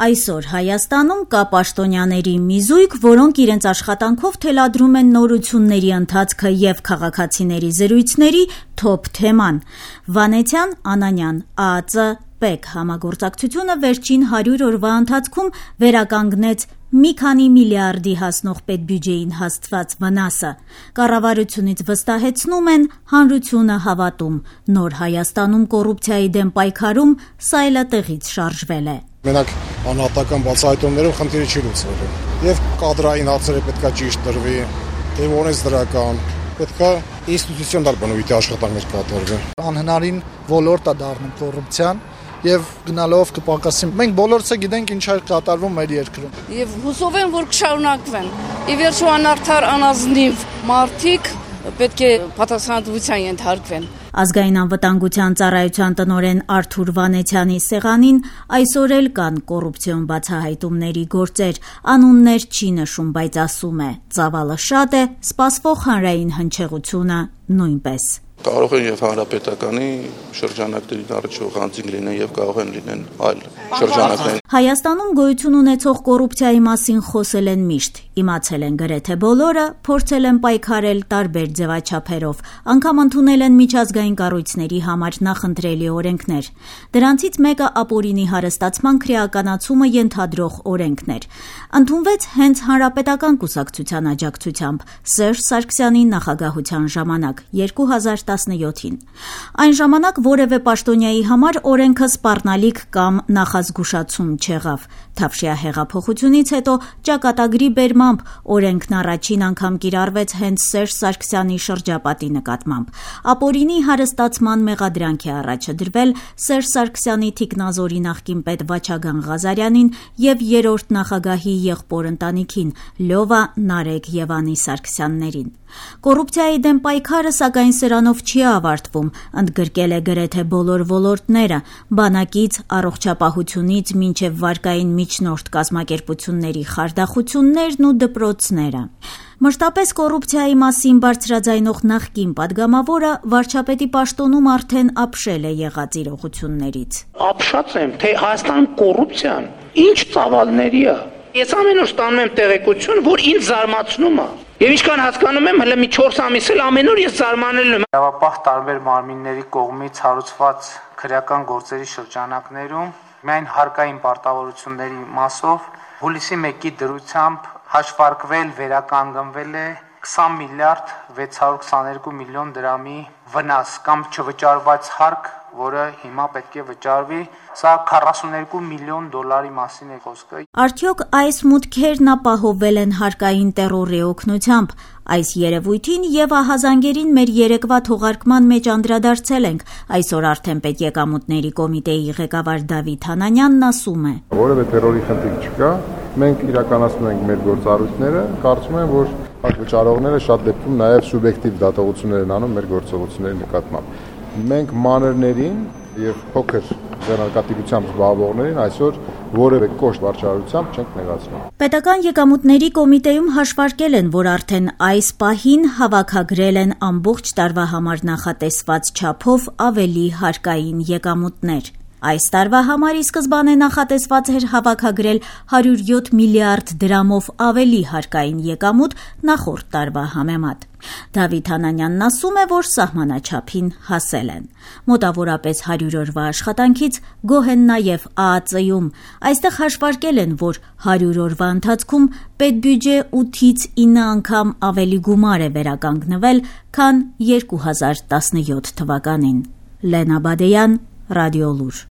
Այսօր Հայաստանում կա պաշտոնյաների մի զույգ, որոնք իրենց աշխատանքով թելադրում են նորությունների ընթացքը և քաղաքացիների զրույցների թոփ թեման։ Վանեցյան Անանյան ԱԱԾ ՊԵԿ համագործակցությունը վերջին 100 օրվա ընթացքում վերականգնեց մի քանի միլիարդի հասնող պետբյուջեին հասցված վնասը։ Կառավարությունից վստահեցնում են, հանրությունը հավատում։ Նոր Հայաստանում կոռուպցիայի դեմ պայքարում սայլատեղից շարժվել է։ Մենակ անհատական բացահայտումներով խնդիրը չի լուծվելու։ Եվ կադրային հարցերը պետքա ճիշտ տրվի, եւ օրենսդրական, պետքա ինստիտուցիոնալ բնույթի աշխատանքներ կատարվեն։ Անհնարին ոլորտ է դառնում կոռուպցիան եւ գնալով կպակասի։ Մենք բոլորս գիտենք ինչ է կատարվում մեր երկրում։ Եվ հուսով եմ, որ կշարունակվեն։ Ի վերջո անարդար անազնիվ մարդիկ պետք է պատասխանատվության ենթարկվեն։ Ազգային անվտանգության ծառայության տնօրեն Արթուր Վանեցյանի սեղանին այսօր էլ կան կոռուպցիոն բացահայտումների գործեր, անուններ չի նշում, բայց ասում է՝ ծավալը շատ է, սպասվող հանրային հնչեղությունը նույնպես։ Կարող են եւ հանրապետականի շրջանակներին առնչվող անձինք լինեն եւ կարող են լինեն այլ շրջանակներ։ Հայաստանում գոյություն ունեցող կոռուպցիայի մասին խոսել են միշտ, իմացել են գրեթե բոլորը, փորձել են պայքարել տարբեր ձևաչափերով, անգամ ընդունել են միջազգային կառույցների համար նախընտրելի օրենքներ։ Դրանցից մեկը ապօրինի հարստացման քրեականացումը ենթադրող օրենքն էր։ Ընդունվեց հենց Հանրապետական կուսակցության աջակցությամբ Սերժ Սարգսյանի նախագահության ժամանակ 2017-ին։ Այն ժամանակ որևէ պաշտոնյայի համար օրենքը սպառնալիք կամ նախազգուշացում չեղավ։ Թավշյա հեղափոխությունից հետո ճակատագրի բերմամբ օրենքն առաջին անգամ կիրառվեց հենց Սերժ Սարգսյանի շրջապատի նկատմամբ։ Ապօրինի հարստացման մեղադրանք է առաջ դրվել Սերժ Սարգսյանի թիկնազորի նախկին պետ Վաչագան Ղազարյանին եւ երրորդ նախագահի եղբոր ընտանիքին Լյովա, Նարեկ եւ Անի Սարգսյաններին։ Կոռուպցիայի դեմ պայքարը սակայն սրանով չի ավարտվում, ընդգրկել է գրեթե բոլոր ոլորտները՝ բանակից, առողջապահությունից մինչև վարկային միջնորդ կազմակերպությունների խարդախություններն ու դպրոցները։ Մշտապես կոռուպցիայի մասին բարձրաձայնող նախկին падգամավորը վարչապետի պաշտոնում արդեն ապշել է եղած իրողություններից։ Ապշած եմ, թե Հայաստանում կոռուպցիան ինչ ծավալների է։ Ես ամեն օր ստանում եմ տեղեկություն, որ ինձ զարմացնում է։ Եվ ինչքան հասկանում եմ, հələ մի 4 ամիս էլ ամեն օր ես զարմանել եմ։ Իրավապահ տարբեր մարմինների կողմից հարուցված քրեական գործերի շրջանակներում միայն հարկային պարտավորությունների մասով հուլիսի 1-ի դրությամբ հաշվարկվել, վերականգնվել է 20 միլիարդ 622 միլիոն դրամի վնաս կամ չվճարված հարկ, որը հիմա պետք է վճարվի, սա 42 միլիոն դոլարի մասին է խոսքը։ Արդյոք այս մուտքերն ապահովվել են հարկային տերորի օգնությամբ։ Այս երևույթին եւ ահազանգերին մեր երեկվա թողարկման մեջ անդրադարձել ենք։ Այսօր արդեն պետեկամուտների կոմիտեի ղեկավար Դավիթ Հանանյանն ասում է. Որևէ տերորի խնդիր չկա, մենք իրականացնում ենք մեր գործառույթները, կարծում եմ, որ վճարողները շատ դեպքում նաեւ սուբյեկտիվ դատողություններ են անում մեր գործողությունների նկատմամբ։ Մենք մանրներին եւ փոքր ձեռնարկատիրությամբ զբաղվողներին այսօր որևէ կոշտ վարչարությամբ չենք նեղացնում։ Պետական եկամուտների կոմիտեում հաշվարկել են, որ արդեն այս պահին հավաքագրել են ամբողջ տարվա համար նախատեսված չափով ավելի հարկային եկամուտներ։ Այս տարվա համար ի սկզբանե նախատեսված էր հավաքագրել 107 միլիարդ դրամով ավելի հարկային եկամուտ նախորդ տարվա համեմատ։ Դավիթ Հանանյանն ասում է, որ սահմանաչափին հասել են։ Մոտավորապես 100 օրվա աշխատանքից գոհ են նաև ԱԱԾ-ում։ Այստեղ հաշվարկել են, որ 100 օրվա ընթացքում պետբյուջե 8-ից 9 անգամ ավելի գումար է վերականգնվել, քան 2017 թվականին։ Լենա Բադեյան, Ռադիոլուր։